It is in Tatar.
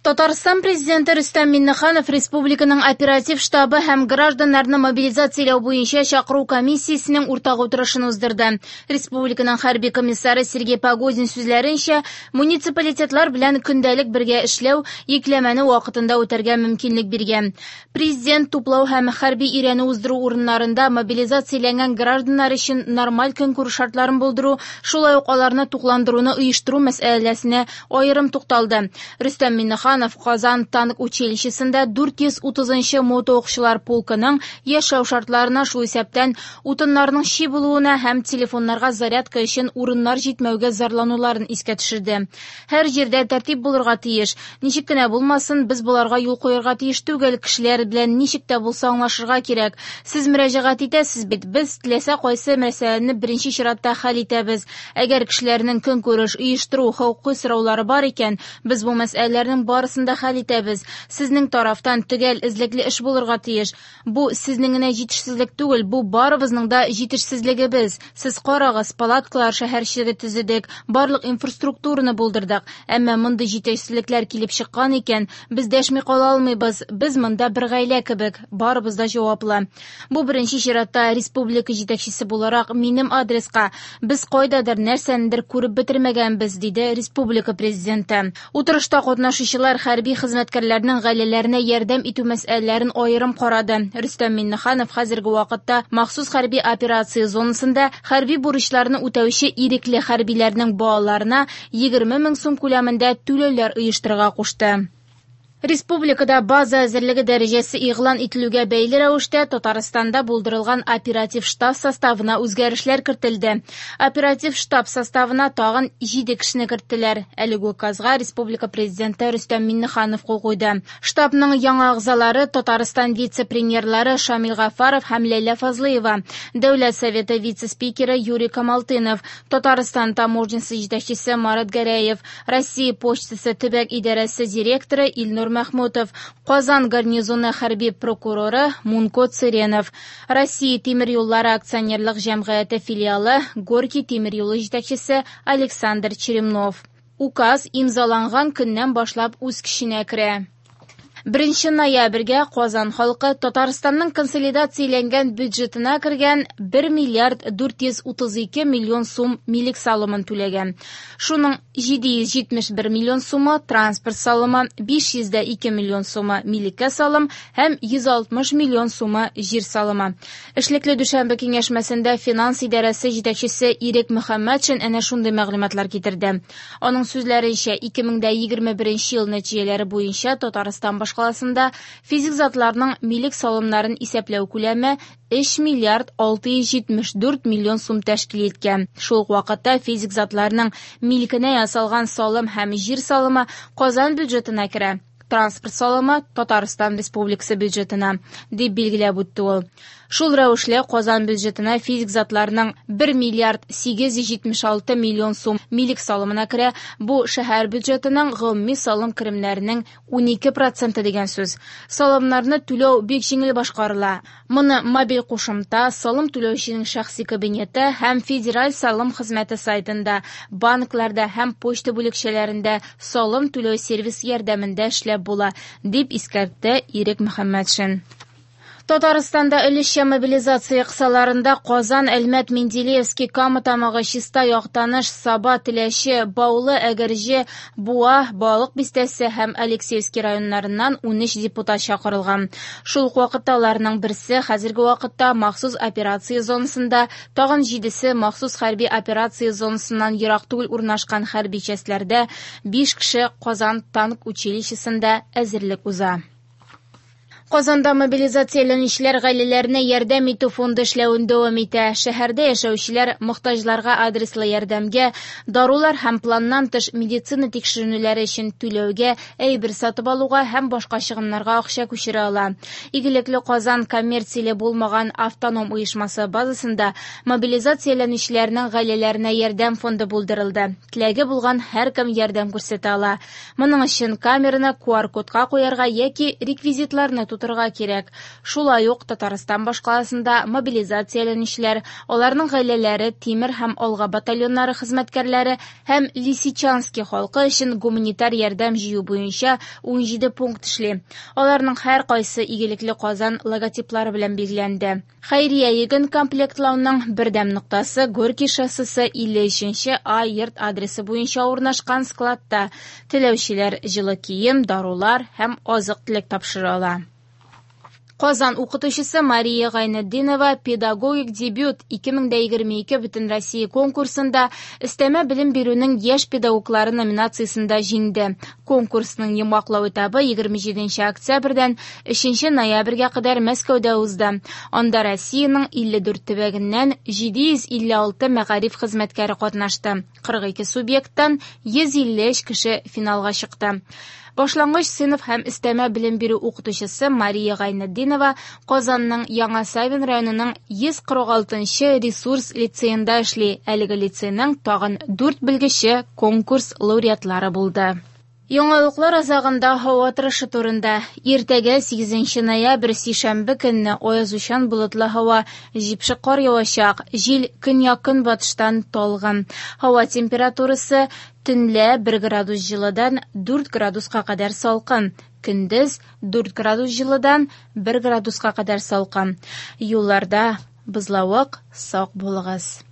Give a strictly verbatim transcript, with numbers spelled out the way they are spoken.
Татарстан президенты Рөстәм Миңнеханов республиканың оператив штабы һәм гражданнарны мобилизацияләү буенча чакыру комиссиясенең уртак утырышын уздырды. Республиканың хәрби комиссары Сергей Погодин сүзләренчә, муниципалитетлар белән көндәлек бергә эшләү йөкләмәне вакытында үтәргә мөмкинлек биргән. Президент туплау һәм хәрби өйрәнү уздыру урыннарында мобилизацияләнгән гражданнар өчен нормаль көнкүреш шартларын булдыру, шулай ук аларны тукландыруны оештыру мәсьәләсенә аерым тукталды. Рөстәм Миңнеханов Казан танк училищесында дүрт йөз утызынчы мотоукчылар полкының яшәү шартларына, шул исәптән утыннарның чи булуына һәм телефоннарга зарядка өчен урыннар җитмәүгә зарлануларын искә төшерде. Һәр җирдә тәртип булырга тиеш. Ничек кенә булмасын, без боларга юл куярга тиеш түгел. Кешеләр белән ничек тә булса аңлашырга кирәк. Сез мөрәҗәгать итәсез бит, без теләсә кайсы мәсьәләне беренче чиратта хәл итәбез. Әгәр кешеләрнең көнкүреш, оештыру, хокукый сораулары бар икән, без бу мәсьәләләрнең барысын да хәл итәбез. Сезнең тарафтан төгәл эзлекле эш булырга тиеш. Бу сезнең генә җитешсезлек түгел, бу барыбызның да җитешсезлегебез. Сез карагыз, палаткалар шәһәрчеге төзедек, барлык инфраструктураны булдырдык. Әмма мондый җитешсезлекләр килеп чыккан икән, без дәшми кала алмыйбыз. Без монда бер гаилә кебек, барыбыз да җаваплы. Бу беренче чиратта республика җитәкчесе буларак минем адреска. Без кайдадыр нәрсәнедер күреп бетермәгәнбез, диде республика президенты. Утырышта катнашучылар хәрби хезмәткәрләрнең гаиләләренә ярдәм итү мәсьәләләрен аерым карады. Рөстәм Миңнеханов хәзерге вакытта махсус хәрби операция зонасында хәрби бурычларны үтәүче ирекле хәрбиләрнең балаларына егерме мең сум күләмендә түләүләр оештырырга кушты. Республикада база әзерлеге дәрәҗәсе игълан ителүгә бәйле рәвештә Татарстанда булдырылган оператив штаб составына үзгәрешләр кертелде. Оператив штаб составына тагын җиде кешене керттеләр. Әлеге указга республика президенты Рөстәм Миңнеханов кул куйды. Штабның яңа әгъзалары Татарстан вице-премьерлары Шамил Гафаров һәм Ләйлә Фазлыева, Дәүләт Советы вице-спикеры Юрий Камалтынов, Татарстан таможнясы җитәкчесе Марат Гәрәев, Россия почтасы төбәк идарәсе директоры Илнур Махмутов, Казан гарнизоны хәрби прокуроры Мунко Цыренов, Россия тимер юллары акционерлык җәмгыяте филиалы Горький тимер юлы җитәкчесе Александр Черемнов. Указ имзаланган көннән башлап үз көченә керә. Беренче ноябрьгә Казан халкы Татарстанның консолидацияләнгән бюджетына кергән бер миллиард дүрт йөз утыз ике миллион сум милек салымын түләгән. Шуның җиде йөз җитмеш бер миллион сумы транспорт салымы, биш йөз дә ике миллион сумы милеккә салым һәм йөз алтмыш миллион сумы җир салымы. Эшлекле дүшәмбе киңәшмәсендә финанс идарәсе җитәкчесе Ирек Мөхәммәтшин әнә шундый мәгълүматлар китерде. Аның сүзләренчә, ике мең дә егерме беренче ел нәтиҗәләре буенча Татарстан башкаласында физик затларның милек салымнарын исәпләү күләме өч миллиард алты йөз җитмеш дүрт миллион сум тәшкил иткән. Шул ук вакытта физик затларның милкенә ясалган салым һәм җир салымы Казан бюджетына керә. Транспорт салымы Татарстан Республикасы бюджетына, дип билгеләп үтте ул. Шул рәвешле Казан бюджетына физик затларның бер миллиард сигез йөз җитмеш алты миллион сум милек салымына керә. Бу шәһәр бюджетының гомуми салым керемнәренең унике проценты дигән сүз. Салымнарны түләү бик җиңел башкарыла. Моны мобиль кушымта, салым түләүченең шәхси кабинеты һәм федераль салым хезмәте сайтында, банкларда һәм почта бүлекчәләрендә салым түләү сервис ярдәмендә эшләп була, дип искәртте Ирек Мөхәммәтшин. Татарстанда өлешчә мобилизация кысаларында Казан, Әлмәт, Менделеевский, Кама Тамагы, Чистай, Актаныш, Саба, Теләче, Баулы, Әгерҗе, Буа, Балык Бистәсе һәм Алексеевский районнарыннан унөч депутат чакырылган. Шул ук вакытта аларның берсе хәзерге вакытта махсус операция зонасында, тагын җидесе махсус хәрби операция зонасыннан ерак түгел урнашкан хәрби частьләрдә, биш кеше Казан танк училищесында әзерлек уза. Казанда мобилизацияләнүчеләр гаиләләренә ярдәм итү фонды эшләвен дәвам итә. Шәһәрдә яшәүчеләр мохтаҗларга адреслы ярдәмгә, дарулар һәм планнан тыш медицина тикшеренүләре өчен түләүгә, әйбер сатып алуга һәм башка чыгымнарга акча күчерә ала. Игелекле Казан коммерцияле булмаган автоном оешмасы базасында мобилизацияләнүчеләрнең гаиләләренә ярдәм фонды булдырылды. Теләге булган һәркем ярдәм күрсәтә ала. Моның өчен камераны ку ар кодка куярга яки реквизитларны тутырырга кирәк. Шулай ук Татарстан башкаласында мобилизацияләнүчеләр, аларның гаиләләре, Тимер һәм Алга батальоннары хезмәткәрләре һәм Лисичански халкы өчен гуманитар ярдәм җыю буенча унҗиде пункт эшли. Аларның һәркайсы «Игелекле Казан» логотиплары белән билгеләнде. Хәйрия йөген комплектлауның бердәм ноктасы Горький шоссесы илле өченче А йорт адресы буенча урнашкан складта. Теләүчеләр җылы кием, дарулар һәм азык-төлек тапшыра ала. Казан укытучысы Мария Гайнетдинова «Педагогик дебют ике мең егерме ике» Бөтенроссия конкурсында өстәмә белем бирүнең яшь педагоглары номинациясендә җиңде. Конкурсның йомгаклау этабы егерме җиденче октябрьдән өченче ноябрьгә кадәр Мәскәүдә узды. Анда Россиянең илле дүрт төбәгеннән җиде йөз илле алты мәгариф хезмәткәре катнашты. Кырык ике субъекттан йөз илле өч кеше финалга чыкты. Башлангыч сыйныф һәм өстәмә белем бирү укытучысы Мария Гайнетдинова Казанның Яңа Савин районының йөз кырык алтынчы ресурс лицеенда эшли. Әлеге лицейның тагын дүрт белгече конкурс лауреатлары булды. Яңалыклар азагында һава торышы турында. Иртәгә сигезенче ноябрь сишәмбе көнне аязучан болытлы һава, җепшек кар явачак, җил көньяк-көнбатыштан талгын. Һава температурасы төнлә бер градус җылыдан дүрт градуска кадәр салкын, көндез дүрт градус җылыдан бер градуска кадәр салкын. Юлларда бозлавык, сак булыгыз.